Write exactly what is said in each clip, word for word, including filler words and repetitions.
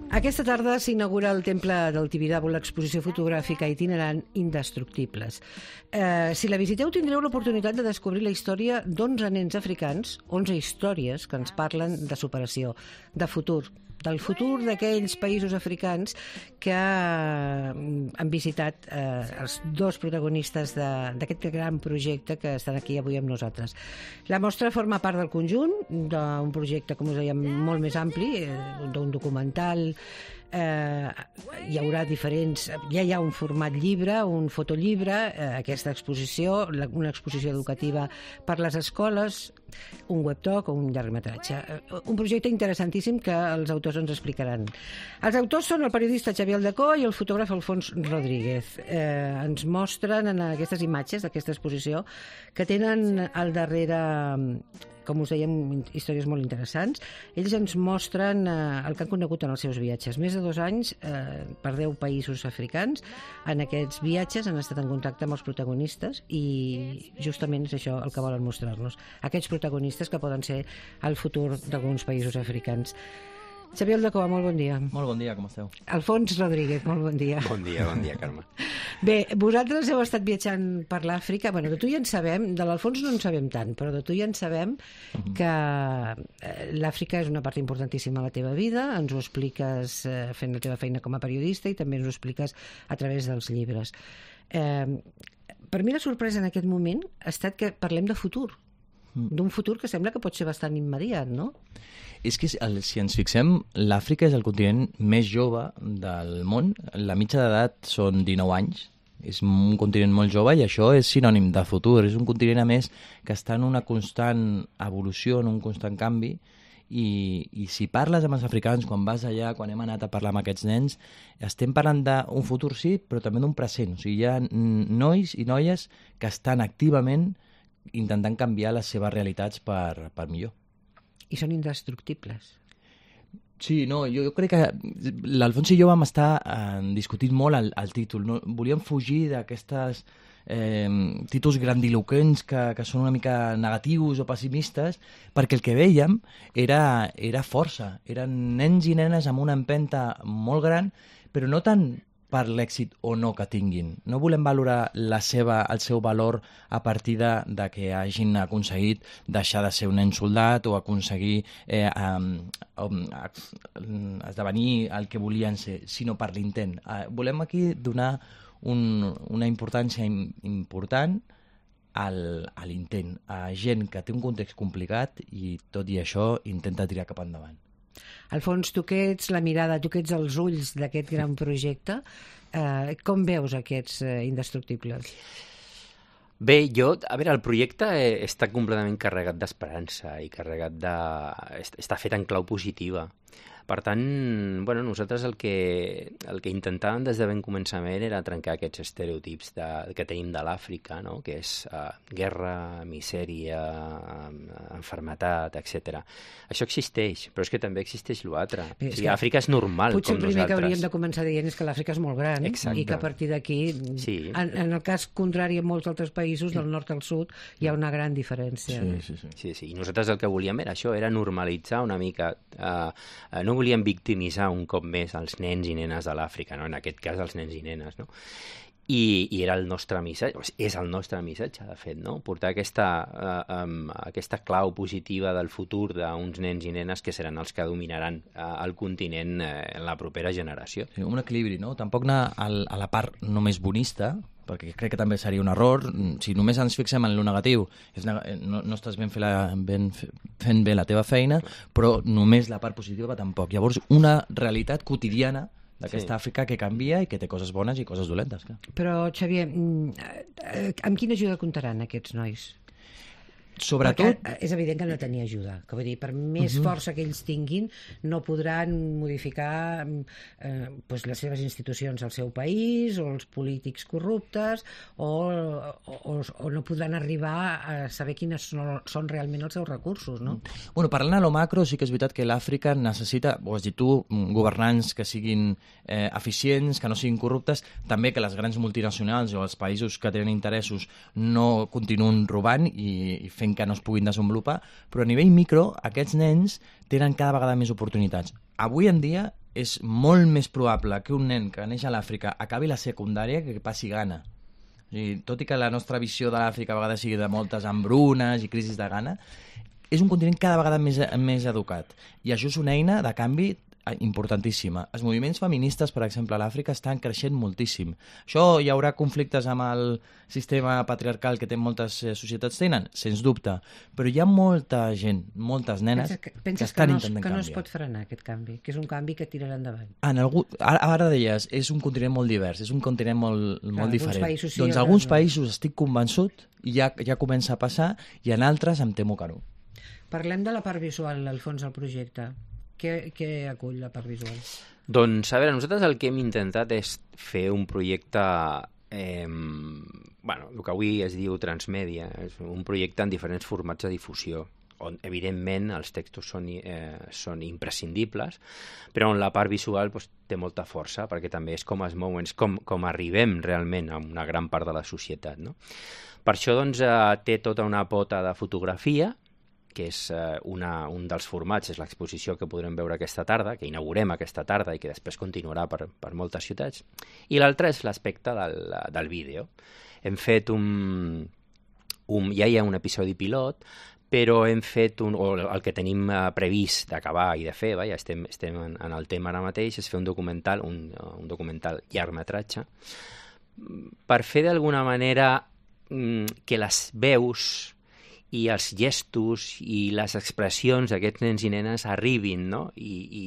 Aquesta tarda s'inaugura al Temple del Tibidabo l'exposició fotogràfica itinerant Indestructibles. Eh, si la visiteu tindreu l'oportunitat de descobrir la història d'onze nens africans, onze històries que ens parlen de superació, de futur, del futur d'aquells països africans que han visitat eh, els dos protagonistes d'aquest gran projecte que estan aquí avui amb nosaltres. La mostra forma part del conjunt d'un projecte, com us dèiem, molt més ampli, eh, d'un documental. Eh, hi haurà diferents, ja hi ha un format llibre, un fotollibre, eh, aquesta exposició, la, una exposició educativa per les escoles, un webtalk o un llargmetratge. Eh, un projecte interessantíssim que els autors ens explicaran. Els autors són el periodista Xavier Aldecó i el fotògraf Alfons Rodríguez. Eh, ens mostren en aquestes imatges d'aquesta exposició que tenen al darrere, com us dèiem, històries molt interessants. Ells ens mostren eh, el que han conegut en els seus viatges. Més de dos anys eh, per deu països africans. En aquests viatges han estat en contacte amb els protagonistes i justament és això el que volen mostrar-nos. Aquests protagonistes que poden ser el futur d'alguns països africans. Xavier Aldecó, molt bon dia. Molt bon dia, com esteu? Alfons Rodríguez, molt bon dia. Bon dia, bon dia, Carme. Bé, vosaltres heu estat viatjant per l'Àfrica. Bueno, de tu ja en sabem, de l'Alfons no en sabem tant, però de tu ja en sabem que l'Àfrica és una part importantíssima de la teva vida, ens ho expliques fent la teva feina com a periodista i també ens ho expliques a través dels llibres. Eh, per mi la sorpresa en aquest moment ha estat que parlem de futur, d'un futur que sembla que pot ser bastant immediat, no? És que si ens fixem, l'Àfrica és el continent més jove del món. La mitja d'edat són dinou anys. És un continent molt jove i això és sinònim de futur. És un continent, a més, que està en una constant evolució, en un constant canvi. I, i si parles amb els africans, quan vas allà, quan hem anat a parlar amb aquests nens, estem parlant d'un futur, sí, però també d'un present. O sigui, hi ha nois i noies que estan activament intentant canviar les seves realitats per, per millor. I són indestructibles. Sí, no, jo, jo crec que l'Alfons i jo vam estar eh, discutint molt el, el títol. No? Volíem fugir d'aquestes eh, títols grandiloquents que, que són una mica negatius o pessimistes, perquè el que vèiem era, era força. Eren nens i nenes amb una empenta molt gran, però no tant per l'èxit o no que tinguin. No volem valorar la seva, el seu valor a partir de, de que hagin aconseguit deixar de ser un nen soldat o aconseguir eh, um, um, esdevenir el que volien ser, sinó per l'intent. Uh, volem aquí donar un, una importància important al, a l'intent, a gent que té un context complicat i tot i això intenta tirar cap endavant. Alfons, tu que ets la mirada, tu que ets els ulls d'aquest gran projecte, eh, com veus aquests eh, indestructibles? Bé, jo, a veure, el projecte està completament carregat d'esperança i carregat de... està fet en clau positiva. Per tant, bueno, nosaltres el que, el que intentàvem des de ben començament era trencar aquests estereotips de, que tenim de l'Àfrica, no? Que és uh, guerra, misèria, enfermetat, etcètera. Això existeix, però és que també existeix l'altre. O sigui, Àfrica és normal, potser com nosaltres. Potser el primer que hauríem de començar dient és que l'Àfrica és molt gran. Exacte. I que a partir d'aquí, sí. en, en el cas contrari en molts altres països, del nord al sud, hi ha una gran diferència. Sí, sí, sí. sí, sí. I nosaltres el que volíem era això, era normalitzar una mica... Uh, uh, no volíem victimitzar un cop més els nens i nenes de l'Àfrica, no? En aquest cas els nens i nenes, no? I, i era el nostre missatge, és el nostre missatge, de fet, no? Portar aquesta, uh, um, aquesta clau positiva del futur d'uns nens i nenes que seran els que dominaran uh, el continent uh, en la propera generació. Sí, un equilibri, no? Tampoc anar al, a la part només bonista, perquè crec que també seria un error. Si només ens fixem en lo negatiu, és, no, no estàs ben, fer la, ben fent bé la teva feina, però només la part positiva tampoc. Llavors, una realitat quotidiana d'aquesta sí. Àfrica que canvia i que té coses bones i coses dolentes. Clar. Però, Xavier, amb quina ajuda comptaran aquests nois? Sobretot... Perquè és evident que han de tenir ajuda, que vull dir, per més uh-huh. força que ells tinguin, no podran modificar eh, pues les seves institucions al seu país, o els polítics corruptes, o, o, o no podran arribar a saber quines són, són realment els seus recursos, no? Bueno, parlant a lo macro, sí que és veritat que l'Àfrica necessita, ho has dit tu, governants que siguin eh, eficients, que no siguin corruptes, també que les grans multinacionals o els països que tenen interessos no continuen robant i, i fent que no es puguin desenvolupar, però a nivell micro aquests nens tenen cada vegada més oportunitats. Avui en dia és molt més probable que un nen que neix a l'Àfrica acabi la secundària que passi gana. O sigui, tot i que la nostra visió de l'Àfrica a vegades sigui de moltes hambrunes i crisis de gana, és un continent cada vegada més, més educat. I això és una eina de canvi importantíssima. Els moviments feministes, per exemple, a l'Àfrica estan creixent moltíssim. Això hi haurà conflictes amb el sistema patriarcal que té moltes societats tenen? Sens dubte. Però hi ha molta gent, moltes nenes, penses que, penses que estan que no, intentant que no canviar. es pot frenar aquest canvi, que és un canvi que tirarà endavant. En algú, ara, ara deies, és un continent molt divers, és un continent molt, Clar, molt diferent. països sí, doncs en alguns no. països estic convençut i ja, ja comença a passar, i en altres em temo que no. Parlem de la part visual, al fons del projecte. Què, què acull la part visual? Doncs, a veure, nosaltres el que hem intentat és fer un projecte, eh, bueno, el que avui es diu transmèdia, és un projecte en diferents formats de difusió, on, evidentment, els textos són, eh, són imprescindibles, però on la part visual doncs, té molta força, perquè també és com es mouen, és com, com arribem realment a una gran part de la societat, no? Per això, doncs, eh, té tota una pota de fotografia, que és eh, una, un dels formats, és l'exposició que podrem veure aquesta tarda, que inaugurem aquesta tarda i que després continuarà per, per moltes ciutats. I l'altre és l'aspecte del, del vídeo. Hem fet un, un... Ja hi ha un episodi pilot, però hem fet un... o el que tenim eh, previst d'acabar i de fer, va, ja estem, estem en, en el tema ara mateix, és fer un documental, un, un documental llargmetratge, per fer d'alguna manera que les veus i els gestos i les expressions d'aquests nens i nenes arribin, no? I, i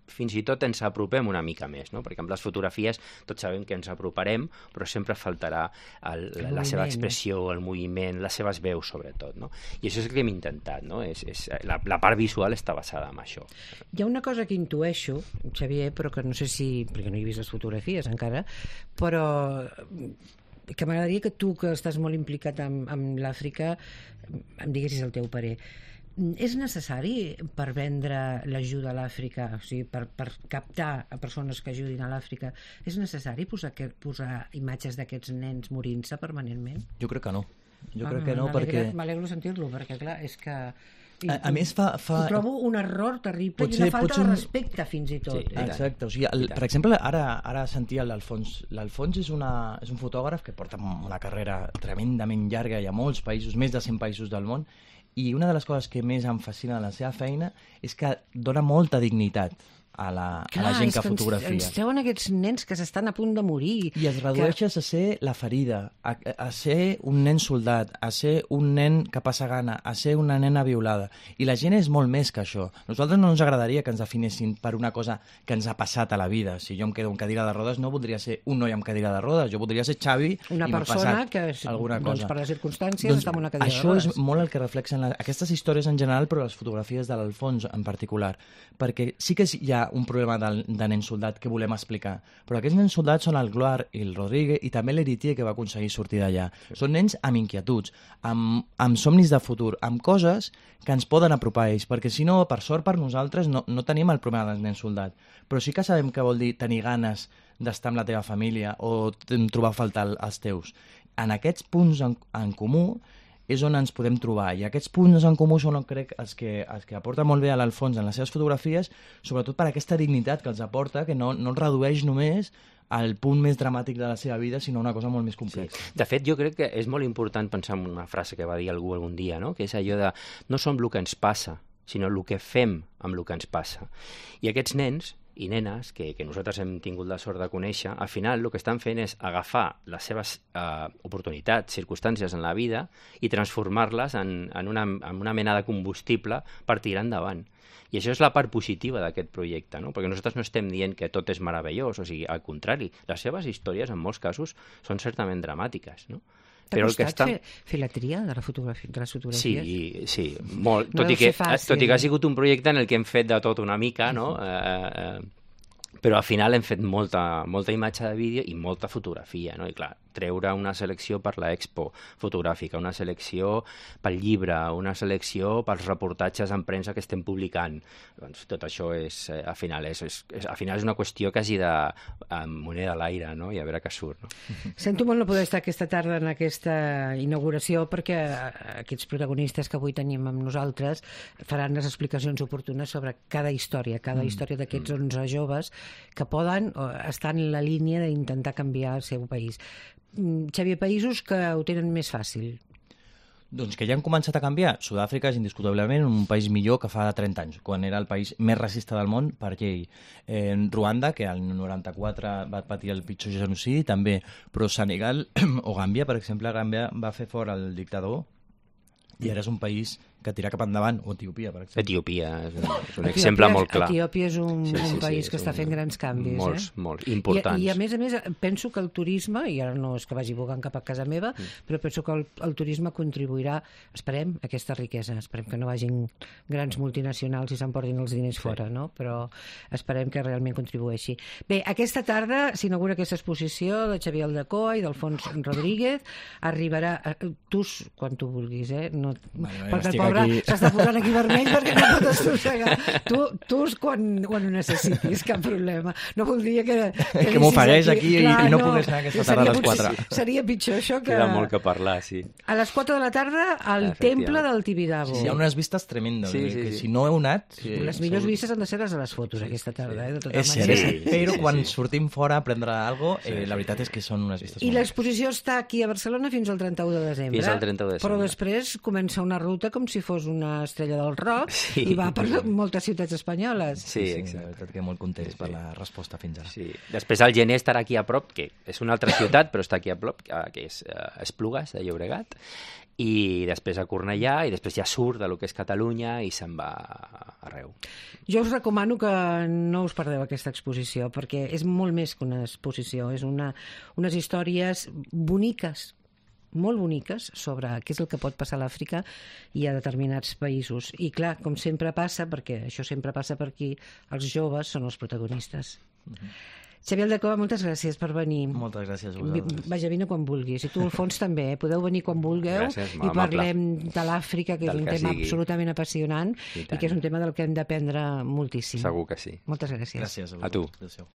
fins i tot ens apropem una mica més, no? Perquè amb les fotografies tots sabem que ens aproparem, però sempre faltarà el, el la seva expressió, el moviment, les seves veus, sobretot, no? I això és el que hem intentat, no? És, és, la, la part visual està basada en això. Hi ha una cosa que intueixo, Xavier, però que no sé si... perquè no he vist les fotografies encara, però que m'agradaria que tu, que estàs molt implicat amb, amb l'Àfrica, em diguessis el teu parer. És necessari per vendre l'ajuda a l'Àfrica, o sigui, per, per captar a persones que ajudin a l'Àfrica, és necessari posar, posar imatges d'aquests nens morint-se permanentment? Jo crec que no. Jo ah, crec que no, perquè... M'alegro sentir-lo, perquè clar, és que... A, a més fa... fa... Ho trobo un error terrible potser, i una falta un... de respecte fins i tot. Sí, eh? Exacte, o sigui, el, per exemple, ara, ara sentia l'Alfons. L'Alfons és, una, és un fotògraf que porta una carrera tremendament llarga, hi ha molts països, més de cent països del món, i una de les coses que més em fascina de la seva feina és que dona molta dignitat a la, Clar, a la gent que, que fotografia. Ens, ens treuen aquests nens que s'estan a punt de morir. I es redueixes que... a ser la ferida, a, a ser un nen soldat, a ser un nen que passa gana, a ser una nena violada. I la gent és molt més que això. Nosaltres no ens agradaria que ens definessin per una cosa que ens ha passat a la vida. Si jo em quedo amb cadira de rodes, no voldria ser un noi amb cadira de rodes, jo voldria ser Xavi una i m'ha passat que, alguna doncs, cosa. per les circumstàncies doncs, està en una cadira de això rodes. És molt el que reflexen la... aquestes històries en general, però les fotografies de l'Alfons en particular. Perquè sí que hi ha un problema del de nen soldat que volem explicar. Però aquests nens soldats són el Gloire i el Rodríguez i també l'Eritier que va aconseguir sortir d'allà. Sí. Són nens amb inquietuds, amb, amb somnis de futur, amb coses que ens poden apropar a ells, perquè si no, per sort per nosaltres, no, no tenim el problema dels nens soldats. Però sí que sabem què vol dir tenir ganes d'estar amb la teva família o trobar a faltar els teus. En aquests punts en, en comú és on ens podem trobar, i aquests punts en comú són, crec, els que, els que aporta molt bé a l'Alfons en les seves fotografies, sobretot per aquesta dignitat que els aporta, que no, no redueix només al punt més dramàtic de la seva vida, sinó una cosa molt més complexa. Sí. De fet, jo crec que és molt important pensar en una frase que va dir algú algun dia, no? Que és allò de no som el que ens passa, sinó el que fem amb el que ens passa. I aquests nens i nenes que, que nosaltres hem tingut la sort de conèixer, al final el que estan fent és agafar les seves eh, oportunitats, circumstàncies en la vida i transformar-les en, en, una, en una mena de combustible per tirar endavant. I això és la part positiva d'aquest projecte, no? Perquè nosaltres no estem dient que tot és meravellós, o sigui, al contrari, les seves històries en molts casos són certament dramàtiques, no? T'ha Però costat el que està... fer, fer la tria de, la fotografia, de les fotografies? Sí, sí, molt. No tot, i que, fàcil. tot i que ha sigut un projecte en el que hem fet de tot una mica, no? Eh, eh, però al final hem fet molta, molta imatge de vídeo i molta fotografia, no? I clar, treure una selecció per l'Expo fotogràfica, una selecció pel llibre, una selecció pels reportatges en premsa que estem publicant. Doncs tot això és, eh, al final, és, és, és, al final és una qüestió quasi de eh, moneda a l'aire, no? I a veure què surt. No? Sento molt no poder estar aquesta tarda en aquesta inauguració perquè aquests protagonistes que avui tenim amb nosaltres faran les explicacions oportunes sobre cada història, cada mm. història d'aquests onze joves que poden estar en la línia d'intentar canviar el seu país. Xavier, països que ho tenen més fàcil. Doncs que ja han començat a canviar. Sud-àfrica és indiscutiblement un país millor que fa trenta anys, quan era el país més racista del món per llei. Eh, Ruanda, que al noranta-quatre va patir el pitjor genocidi, també, però Senegal o Gàmbia, per exemple, Gàmbia va fer fora el dictador i ara és un país que tira cap endavant, o Etiòpia, per exemple. Etiòpia és un, és un exemple molt clar. Etiòpia és un, sí, sí, un país sí, que està fent grans canvis. Molts, eh? molts, importants. I, I a més a més, penso que el turisme, i ara no és que vagi bugant cap a casa meva, mm. però penso que el, el turisme contribuirà, esperem, a aquesta riquesa. Esperem que no vagin grans multinacionals i s'emportin els diners sí. fora, no? Però esperem que realment contribueixi. Bé, aquesta tarda s'inaugura aquesta exposició de Xavier Aldecoa i d'Alfons Rodríguez. Arribarà, tu, quan tu vulguis, eh? No, vale, perquè el pobre s'està posant aquí vermell perquè no pot estrossegar. Tu, tu quan, quan ho necessitis, cap problema. No voldria que... Que, que m'ofereix aquí, aquí clar, i, i no, no pogués anar aquesta tarda a les quatre. Seria pitjor això que... Queda molt que parlar, sí. A les quatre de la tarda, al temple del Tibidabo. Sí, hi ha unes vistes tremendes. Sí, sí, que sí. Si no heu anat... Sí, les millors vistes han de ser les de les fotos, aquesta tarda. Eh, de tota és cert, sí, però sí, quan sí. sortim fora a prendre alguna cosa, eh, la veritat és que són unes vistes... I l'exposició està aquí a Barcelona fins al trenta-u de desembre. Fins al trenta-u de desembre. Però després comença una ruta com si fos una estrella del rock sí. i va per moltes ciutats espanyoles. Sí, sí, exacte. La veritat que molt contents sí, sí. per la resposta fins ara. Sí. Després al gener estarà aquí a prop, que és una altra ciutat, però està aquí a prop, que és Esplugues, de Llobregat, i després a Cornellà, i després ja surt de lo que és Catalunya i se'n va arreu. Jo us recomano que no us perdeu aquesta exposició, perquè és molt més que una exposició, és una, unes històries boniques, molt boniques sobre què és el que pot passar a l'Àfrica i a determinats països. I clar, com sempre passa, perquè això sempre passa per aquí, els joves són els protagonistes. Uh-huh. Xavier Aldecoa, moltes gràcies per venir. Moltes gràcies a vosaltres. Vaja, vine quan vulguis. I tu, Alfons, també. Eh? Podeu venir quan vulgueu gràcies, i parlem de l'Àfrica, que és un tema sigui. absolutament apassionant i, i que és un tema del que hem d'aprendre moltíssim. Segur que sí. Moltes gràcies. Gràcies a vosaltres. A tu. Adéu-siau.